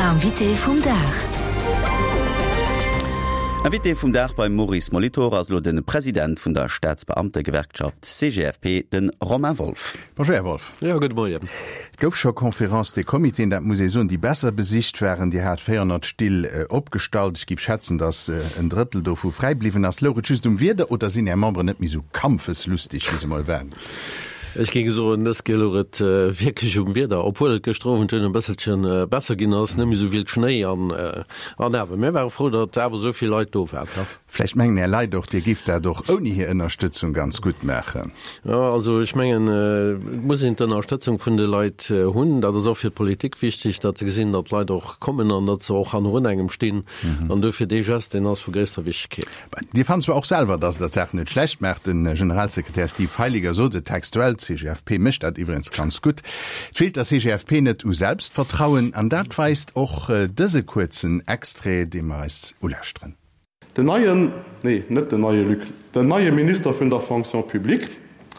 Invité vum Dag. Invité vum Dag beim Maurice Molitor ass elo de President vun der Staatsbeamtegewerkschaft CGFP, de Romain Wolff. Bonjour Här Wolff. Jo, gudde Moien. Et gouf scho Conférences des Comitéen, dat muss ee soen, déi besser besicht waren. Dir hat 400 Still opgestallt. Ech géif schätzen, datt en Drëttel dovu fräi bliwwen ass. Louch et just um Wieder oder sinn Är Memberen net méi esou kampfeslustig, wéi se mol waren? Ech géing soen, dës Kéier louch et wierklech um Wieder, obwuel et gëschter Owend dunn e bësselche besser ginn ass, net méi esou vill Schnéi an awer mir ware frou, datt awer esou vill Leit do waren. Vläicht mengen Är Leit och, Dir gifft dat och ouni hir Ënnerstëtzung ganz gutt maachen. Jo, also ech mengen, et muss een d'Ënnerstëtzung vun de Leit hunn. Dat ass och fir d'Politik wichteg, datt se gesinn, datt d'Leit och kommen an datt se och hannerun engem stinn. An duerfir dee Geste, deen ass vu gréisster Wichtegkeet. Dir fannt zwar och selwer, datt Der d'Saach net schlecht maacht, de Generalsekretär Steve Heiliger sot et textuell, d'CGFP mécht dat iwwregens ganz gutt. Et feelt der CGFP net u Selbstvertrauen, an dat weist och dëse kuerzen Extrait, dee mer eis ulauschteren. Den neien, nee, net den neie Luc, den neie Minister vun der Fonction publique,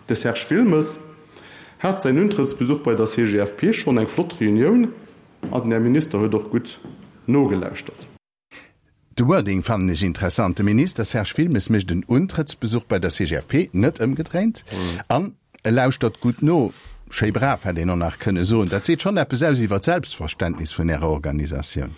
de Serge Wilmes, hat säin Untrëttsbesuch bei der CGFP schonn eng flott Reunioun an den Här Minister huet och gutt nogelauschtert. De Wording fannen ech interessant, De Minister Serge Wilmes mécht en Untrëttsbesuch bei der CGFP, net ëmgedréint, an e lauschtert gutt no. Schéi brav, hätt een och nach kënne soen. Dat seet schonn eppes aus iwwer d'Selbstverständnis vun Ärer Organisatioun.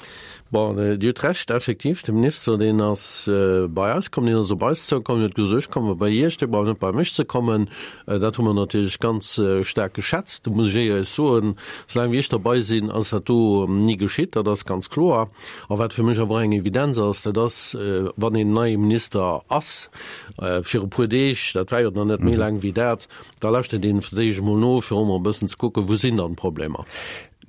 Bon, Dir hutt Recht, effektiv, de Minister, deen ass bei eis komm, deen ass op eis zoukomm, deen huet gesot, ech komme bei Iech, Dir braucht net bei mech ze kommen. Dat hu mer natierlech ganz staark geschätzt. Do muss ech éierlech soen, soulaang wéi ech derbei sinn, ass dat do ni geschitt, dat ass ganz kloer. A wat fir mech awer och eng Evidenz ass, dat ass, wann een neie Minister ass, fir e puer Deeg, dat war jo nach net méi laang wéi dat, da lauschtert een fir d'éischt emol no, fir och emol e bëssen ze kucken, wou sinn dann d'Problemer.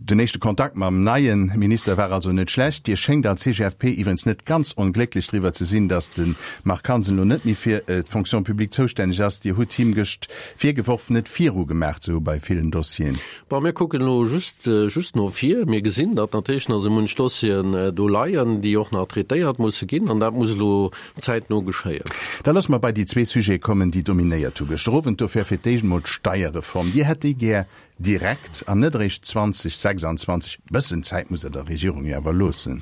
Den éischte Kontakt mam neie Minister war also net schlecht. Dir schéngt als CGFP iwwregens net ganz onglécklech driwwer ze sinn, datt de Marc Hansen elo net méi fir d'Fonction publique zoustänneg ass. Dir hutt him gëscht virgeworf, net virugemaach ze hu bei villen Dossieren. Bon, mir kucken elo just, just no vir. Mir gesinn, datt natierlech nach esou munch Dossieren do leien, déi och nach traitéiert musse ginn, an dat muss elo zäitno geschéien. Da loosse mer bei déi zwee Sujete kommen, déi dominéiert hu gëschter Owend. Dofir fir d'éischt emol d'Steierreform. Dir hätt déi gär direkt an net eréischt 2026. Bëssen Zäit muss Der der Regierung jo awer loossen.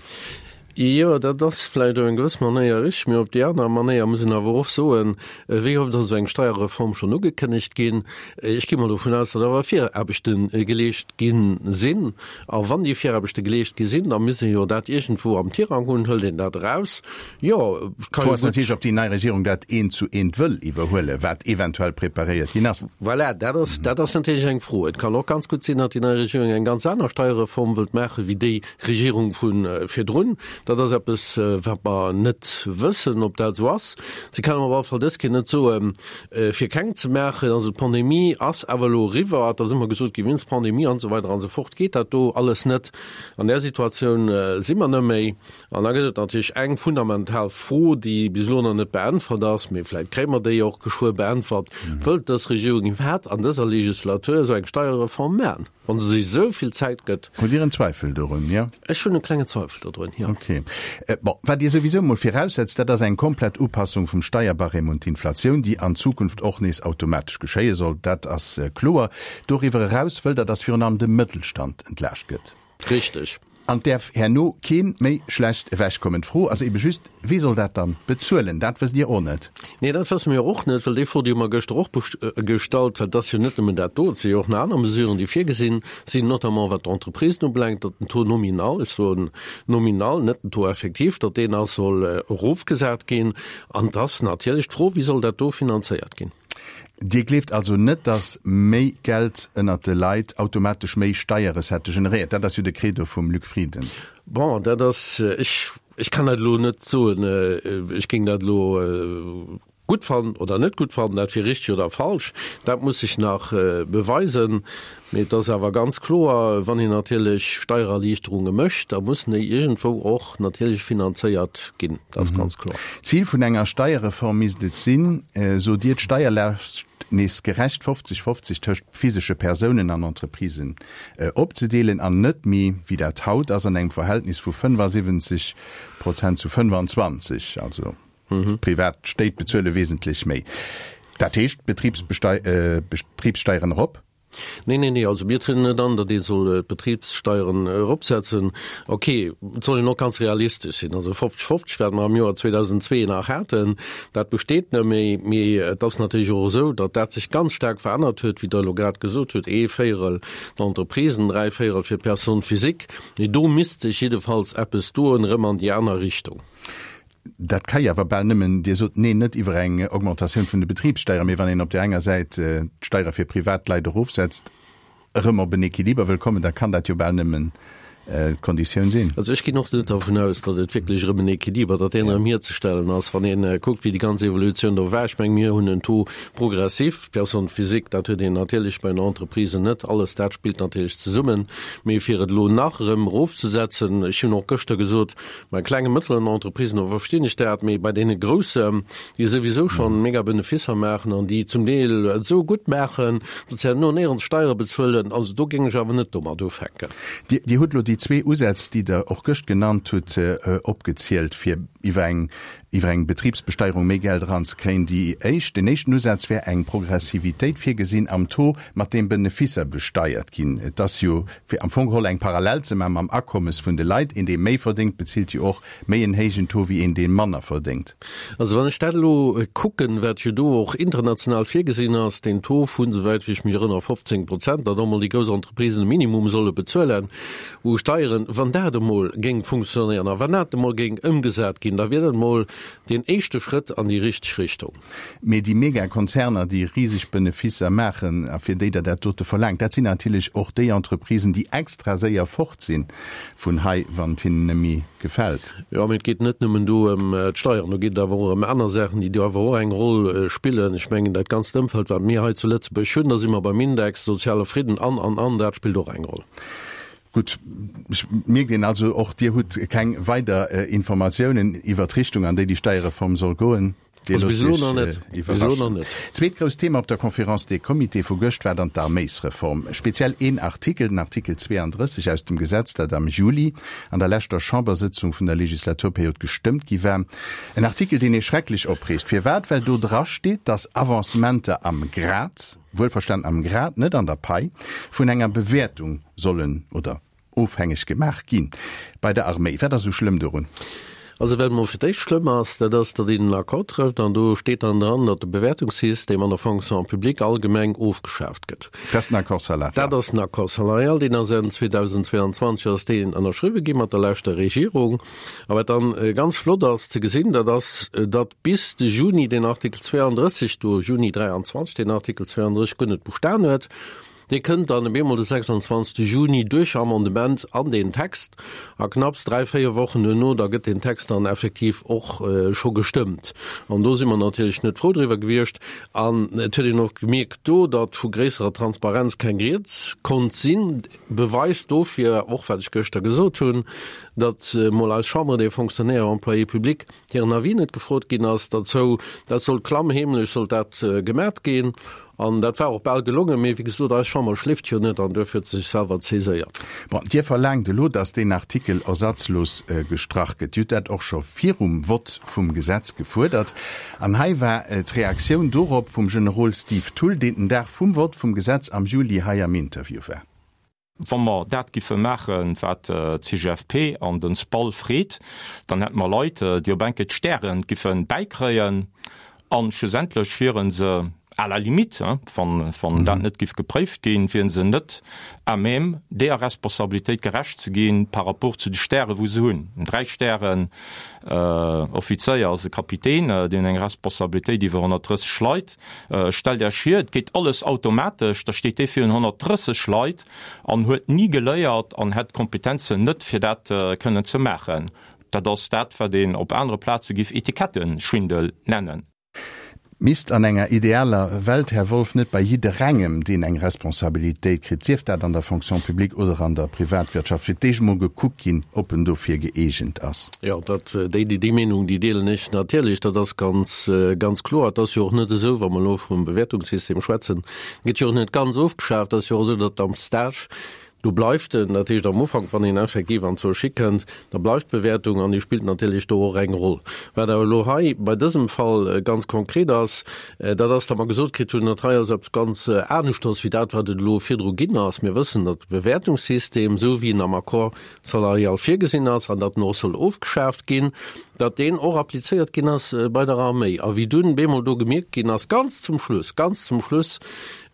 Jo, dat ass vläicht op eng gewëss Manéier richteg, mee op déi aner Manéier muss een awer och soen, wéi oft ass esou eng Steierreform schonn ugekënnegt ginn? Ech gi mol dovun aus, datt awer Viraarbechte geleescht gi sinn. A wann déi Viraarbechte geleescht gi sinn, da misst ee jo dat iergendwou am Tirang hunn. Hëlt een dat eraus? Jo, et ka jo gutt. D'Fro ass natierlech, ob déi nei Regierung dat eent zu eent wëll iwwerhuelen, wat eventuell preparéiert ginn ass. Voilà, dat ass, dat ass natierlech eng Fro. Et kann och ganz gutt sinn, datt déi nei Regierung eng ganz aner Steierreform wëllt maachen, wéi déi, Regierung vu virdrun. Dat ass eppes, wat mer net wëssen, ob dat esou ass. Si kann op alle Fall dës Kéier net soen, fir keng ze maachen. Also d'Pandemie ass awer elo eriwwer. Et ass ëmmer gesot ginn, wéinst Pandemie an esou weider an esou fort geet dat do alles net. An där Situatioun si mer net méi. An da gëtt et natierlech eng fundamental Fro, déi bis elo nach net beäntwert ass, mee vläicht kréie mer déi och geschwë beäntwert, Wëllt dës Regierung iwwerhaapt an dëser Legislatur esou eng Steierreform maachen? Wann se sech esou vill Zäit gëtt. Hutt Dir en Zweifel dorun, jo? Ech hunn e klengen Zweifel dodrun, jo. Ok. Bon, wat Dir souwisou emol viraussetzt, dat ass eng komplett Upassung vum Steierbarème un d'Inflatioun, déi an Zukunft och nees automatesch geschéie soll. Dat ass kloer. Doriwwer eraus wëllt Der, dass virun allem de Mëttelstand entlaascht gëtt. Richteg. An et däerf herno keen méi schlecht ewechkommen. D'Fro ass ebe just, Wee soll dat dann bezuelen? Dat wësst Dir och net. Nee, dat wësse mir och net, well déi Fro, déi hu mer gëschter och gestallt, well et ass jo net nëmmen dat do, et si jo och nach aner Mesuren, déi virgesinn sinn, notamment wat d'Entreprisen ubelaangt, datt den Taux nominal, ech soen nominal, net den Taux effectif, datt deen ass soll erofgesat ginn. An et ass natierlech d'Fro, Wéi soll dat do finanzéiert ginn? Dir gleeft also net, datt méi Geld ënnert de Leit automatesch méi Steierrecettë generéiert? Dat ass jo de Credo vum Luc Frieden. Bon, dat ass, ech, ech kann dat elo net soen. Ech géing dat elo gutt fannen oder net gutt fannen, dat wier richteg oder falsch, dat muss sech nach beweisen. Mee et ass awer ganz kloer, wann een natierlech Steiererliichterunge mécht, da mussen déi iergendwou och natierlech finanzéiert ginn. Dat ass ganz kloer. D'Zil vun enger Steierreform misst et sinn, sot Dir, d'Steierlaascht nees gerecht 50, 50 tëscht physesche Persounen an Entreprisen opzedeelen an net méi, wéi dat haut ass, an engem Verhältnis vu 75 Prozent zu 25, also privat Stéit bezuele wesentlech méi. Dat heescht, Betribssteieren erop. Nee, nee, nee, also mir trieden net an, datt ee soll d'Betribssteieren eropsetzen. Ok, et soll een och ganz realistesch sinn. Also 50, 50, wat mer am Joer 2002 nach haten, dat besteet net méi. Mee et ass natierlech och esou, datt dat sech ganz staark verännert huet, wéi Der elo grad gesot hutt, ee Véierel d'Entreprisen, 3 Véierel fir d'Personnes physiques. Mee do misst sech jiddefalls eppes doen, erëm an déi aner Richtung. Dat ka jo awer bal nëmmen, Dir sot, neen, net iwwer eng Augmentatioun vun de Betribssteieren, mee wann een op där enger Säit d'Steiere fir Privatleit erofsetzt, erëm op en Equiliber wëll kommen, da kann dat jo bal nëmmen d'Konditioun sinn. Also ech ginn och net dervun aus, datt et wierklech erëm en Equiliber, datt deen erëm hierzestellen ass, wann ee kuckt, wéi déi ganz Evolutioun do war. Ech mengen, mir hunn en Taux progressif, Personne physique, dat huet een natierlech bei den Entreprisen net. Alles dat spillt natierlech zesummen. Mee fir et elo nach erëm erofzesetzen, ech hunn och gëschter gesot, Bei klengen, mëttleren Entreprisen, do verstinn ech dat, mee bei deene groussen, déi souwisou schonn mega Benefisser maachen an déi zum Deel et esou gutt maachen, datt se herno néierens Steiere bezuelen, also do géing ech awer net domat ufänken. Dir, Dir hutt elo déi zwee Usätz, déi Der och gëscht genannt hutt, opgezielt, fir iwwer eng, iwwer eng Betribsbesteierung méi Geld eranzekréien. Déi éischt, deen éischten Usaz wär eng Progressivitéit virgesinn am Taux, mat deem Benefisser besteiert ginn. Et ass jo Fir am Fong geholl eng Parallel ze maachen mam Akommes vun de Leit, een dee méi verdéngt, bezilt jo och méi en héijen Taux wéi een dee manner verdéngt. Also wann ech dat elo kucken, wat jo do och international virgesinn ass, deen Taux vun, souwäit wéi ech mech erënnere, 15 Prozent, datt emol déi grouss Entreprisen e Minimum solle bezuelen u Steieren, wann dat emol géing funktionéieren a wann dat emol géing ëmgesat ginn, da wier dat emol deen éischte Schrëtt an déi richteg Richtung. Mee déi Megakonzerner, déi riseg Benefisser maachen a fir déi Der dat dote verlaangt, dat sinn natierlech och déi Entreprisen, déi extra séier fort si vun hei, wann et hinnen net méi gefält. Jo, mee et geet net nëmmen do ëm d'Steieren, do geet et awer och ëm aner Saachen, déi do awer och eng Roll spillen. Ech mengen, dat ganzt Ëmfeld, wat mir hei zu Lëtzebuerg hunn, da si mer beim Index, soziale Fridden an, an, an, dat spillt och eng Roll. Gutt, ech mierkt een also och, Dir hutt keng weider Informatiounen iwwert d'Richtung, an déi déi Steierreform soll goen. Dir loosst Iech iwwerraschen. Zweet grousst Thema op der Conférence des Comités vu gëscht war dann d'Arméisreform. Speziell een Artikel, den Artikel 32 aus dem Gesetz, dat am Juli an der leschter Chambersëtzung vun der Legislaturperiod gestëmmt gi war. En Artikel, deen ee schrecklech opreegt. Firwat? Well do dra steet, datt Avancementer am Grad, wuelverstanen am Grad, net an der Pai, vun enger Bewäertung sollen oder Ofhängeg gemaach ginn bei der Arméi. Wat ass esou schlëmm dorun? Also wat emol fir d'éischt schlëmm ass, dat ass, datt een en Accord trëfft an do steet dann dran, datt de Bewäertungssystem an der Fonction publique allgemeng ofgeschaaft gëtt. Dat ass den Accord salarial. Dat ass den Accord salarial, deen ass Enn 2022 ass deen ënnerschriwwe gi mat der leschter Regierung. A wat dann ganz flott ass ze gesinn, dat ass, datt bis de Juni deen Artikel 32 do, Juni 23, deen Artikel 32 guer net bestan huet. Dee kënnt dann op eemol de 26 Juni duerch Amendement an deen Text a knapps dräi, véier Wochen duerno, da gëtt deen Text dann effektiv och scho gestëmmt. An do si mer natierlech net frou driwwer gewiescht. An et huet een och gemierkt do, datt vu gréisserer Transparenz keng Rieds konnt sinn. Beweis dofir och, wat ech gëschter gesot hunn, datt mol eis Chambre des Fonctionnaires et Employés publics hiren Avis net gefrot ginn ass derzou. Dat sollt klammheemlech sollt dat gemat ginn. An dat war och bal gelongen, mee wéi gesot, eis Chamber schléift jo net an duerfir huet se sech selwer zäséiert. Bon, Dir verlaangt elo, datt deen Artikel ersatzlos gestrach gëtt. Dir hutt dat och scho virum Vott vum Gesetz gefuerdert. An hei war d'Reaktioun dorop vum Generol Steve Thull, deen den Dag vum Vott vum Gesetz am Juli hei am Interview war. Wa mer dat giffe maachen, wat d'CGFP an den SPAL freet, dann hätte mer Leit, déi op enke d'Stäre giffe bäikréien a schlussendlech wiere se à la limite, wann dat net giff gepréift ginn, wiere se net à même, deeër Responsabilitéit gerecht ze ginn par rapport zu de Stäre wou se hunn. En Dräistären-Offizéier ass e Kapitän, deen huet eng Responsabilitéit iwwer 130 Leit. Stellt Äech vir, et geet alles automatesch, da steet dee virun 130 Leit an huet ni geléiert an hätt d'Kompetenzen net, fir dat kënnen ze maachen. Dat ass dat, wat een op anere Plaze giff Etiketteschwindel nennen. Misst an enger idealer Welt, Här Wolff, net bei jidderengem, deen eng Responsabilitéit kritt, sief dat an der Fonction publique oder an der Privatwirtschaft, fir d'éischt emol gekuckt ginn, ob en dofir gëeegent ass? Jo, dat, déi, déi Meenung, déi deelen ech natierlech. Dat ass ganz, ganz kloer. Et ass jo och net esou, wa mer elo vum Bewäertungssystem schwätzen, gëtt jo och net ganz ofgeschaaft. Et ass jo och esou, datt am Stage. Do bleift en. Dat heescht am Ufank, wann een effektiv an d'Socié kënnt, da bleift d'Bewäertung an déi spillt natierlech do och eng Roll. Wat awer elo hei bei dësem Fall ganz konkret ass, dat ass, datt mer gesot kritt hunn, dat hei ass eppes ganz aneschters wéi dat, wat et elo virdru ginn ass. Mir wëssen, datt de Bewäertungssystem, esou wéi en am Accord salarial virgesinn ass an datt en och soll ofgeschaaft ginn, datt deen och applizéiert ginn ass bei der Arméi. A wéi dunn bemol do gemierkt ginn ass, ganz zum Schluss, ganz zum Schluss,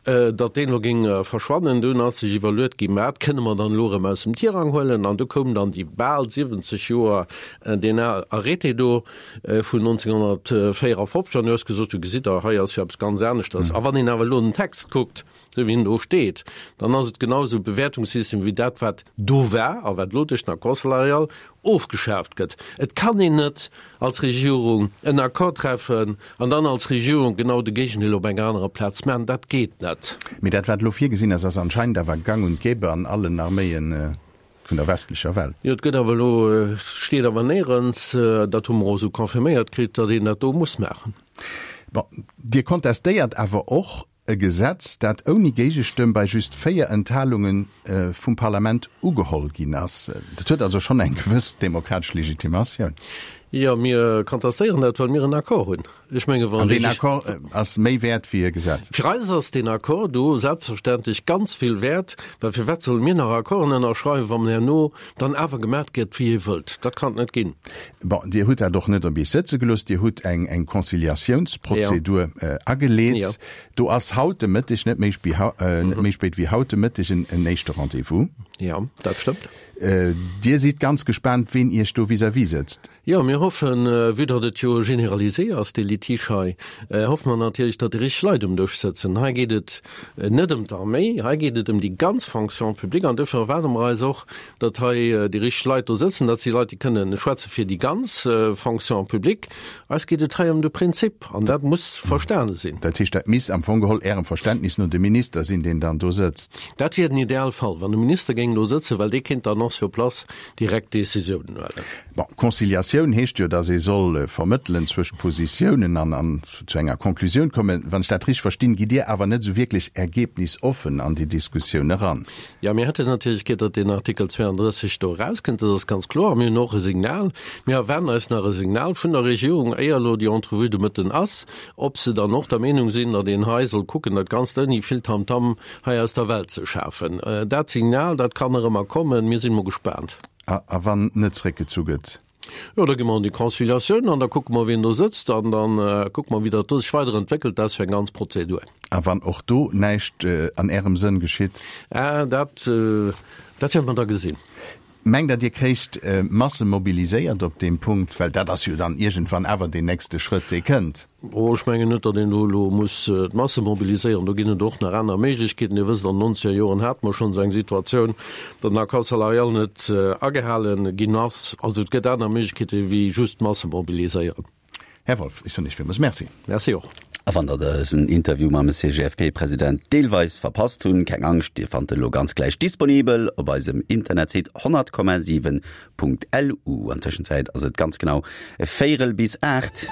datt deen elo géing verschwannen, dunn ass sech iwwerluet ginn, wat kënne mer dann elo erëm aus dem Tirang huelen? An du koum dann déi bal 70 Joer deen Arrêté do vun 1954 an du hues gesot, du gesitt Der, hei ass jo eppes ganz aneschters. A wann een awer elo den Text kuckt, esou wéi en do steet, dann ass et genau esou e Bewäertungssystem wéi dat, wat do war a wat elo duerch den Accord salarial ofgeschaaft gëtt. Et kann een net als Regierung en Accord treffen an dann als Regierung genau de Géigendeel op enger anerer Plaz maachen. Dat geet net. Mee dat, wat elo virgesinn ass, ass anscheinend awer gang und gäbe an allen Arméien vun der westlecher Welt. Jo, et gëtt awer elo, et steet awer néierens, dat hu mer och esou confirméiert kritt, datt een dat do muss maachen. Bon, Dir kontestéiert awer och E Gesetz, dat ouni Géigestëmm bei just 4 Enthalunge vum Parlament ugeholl ginn ass. Dat huet also schonn eng gewëss demokratesch Legitimatioun. Jo, mir contestéieren dat, well mir en Accord hunn. Ech menge wann. An deen Accord ass méi wäert wéi e Gesetz? Fir eis ass deen Accord do selbstverständlech ganz vill wäert, well firwat solle mir nach Accorden ënnerschreiwen, wann herno dann awer gemat gëtt, wéi ee wëllt? Dat kann et net ginn. Bon, Dir hutt dat och net op Iech sëtze gelooss. Dir hutt eng, eng Conciliatiounsprozedur ageleet. Do ass haut de Mëtteg, net méi net méi spéit wéi haut de Mëtteg, en, en éischte Rendez-vous. Jo, dat stëmmt. Dir sidd ganz gespaant, ween Iech do vis-à-vis sëtzt. Jo, mir hoffen, vue datt et jo généralisé ass, dee Litige hei, hoffe mer natierlech, datt déi richteg Leit um Dësch sëtzen. Hei geet et net ëm d'Arméi, hei geet et ëm déi ganz Fonction publique an dofir erwaarde mer eis och, datt hei déi richteg Leit do sëtzen, dat si Leit, déi kënnen schwätze fir déi ganz Fonction publique. Eis geet et hei ëm de Prinzip an dat muss verstane sinn. Dat heescht, dat misst am Fong geholl Ärem Verständnis no de Minister sinn, deen dann do sëtzt? Dat wier den Idealfall, wann de Minister géing do sëtzen, well dee kéint dann och sur place direkt Décisiounen huelen. Bon, Conciliatioun heescht jo, datt ee soll vermëttelen zwëscht Positiounen an an zu enger Conclusioun kommen. Wann ech dat richteg verstinn, gitt Dir awer net esou wierklech ergebnisoffen an déi Diskussioun eran. Jo, mir hätten natierlech gär, datt deen Artikel 32 do erauskënnt, dat ass ganz kloer. A mir hunn och e Signal, mir erwaarden eis nach e Signal vun der Regierung, éier elo déi Entrevue de Mëtten ass, ob se dann och der Meenung sinn, datt een hei soll kucken, dat Ganzt ouni vill Tamtam hei aus der Welt ze schafen. Dat Signal, dat kann nach ëmmer kommen. Mir sinn emol gespaant. A wann net zréckgezu gëtt? Jo, da gi mer an déi Conciliatioun an da kucke mer, wien do sëtzt an da kucke mer, wéi dat do sech weiderentwéckelt. Dat ass jo eng ganz Prozedur. A wann och do näischt an Ärem Sënn geschitt? Ah, dat, dat wäerte mer da gesinn. Mengt Der, Dir kréicht Masse mobiliséiert op deem Punkt? Well dat ass jo dann iergendwann awer deen nächste Schrëtt, dee kënnt. Oh, ech mengen net, datt een do elo muss d'Masse mobiliséieren. Do ginn et och nach aner Méiglechkeeten. Dir wësst, an den nonzeger Joren hate mer schonn esou eng Situatioun, datt den Accord salarial net agehale ginn ass. Also et gëtt aner Méiglechkeete wéi just d'Masse mobiliséieren. Här Wolff, ech soen Iech villmools Merci. Merci och. A wann der dësen Interview mam CGFP-President deelweis verpasst hunn, keng Angscht, Dir fannt en elo ganz gläich disponibel op eisem Internetsite 100,7.lu. An Tëschenzäit ass et ganz genau véierel bis 8.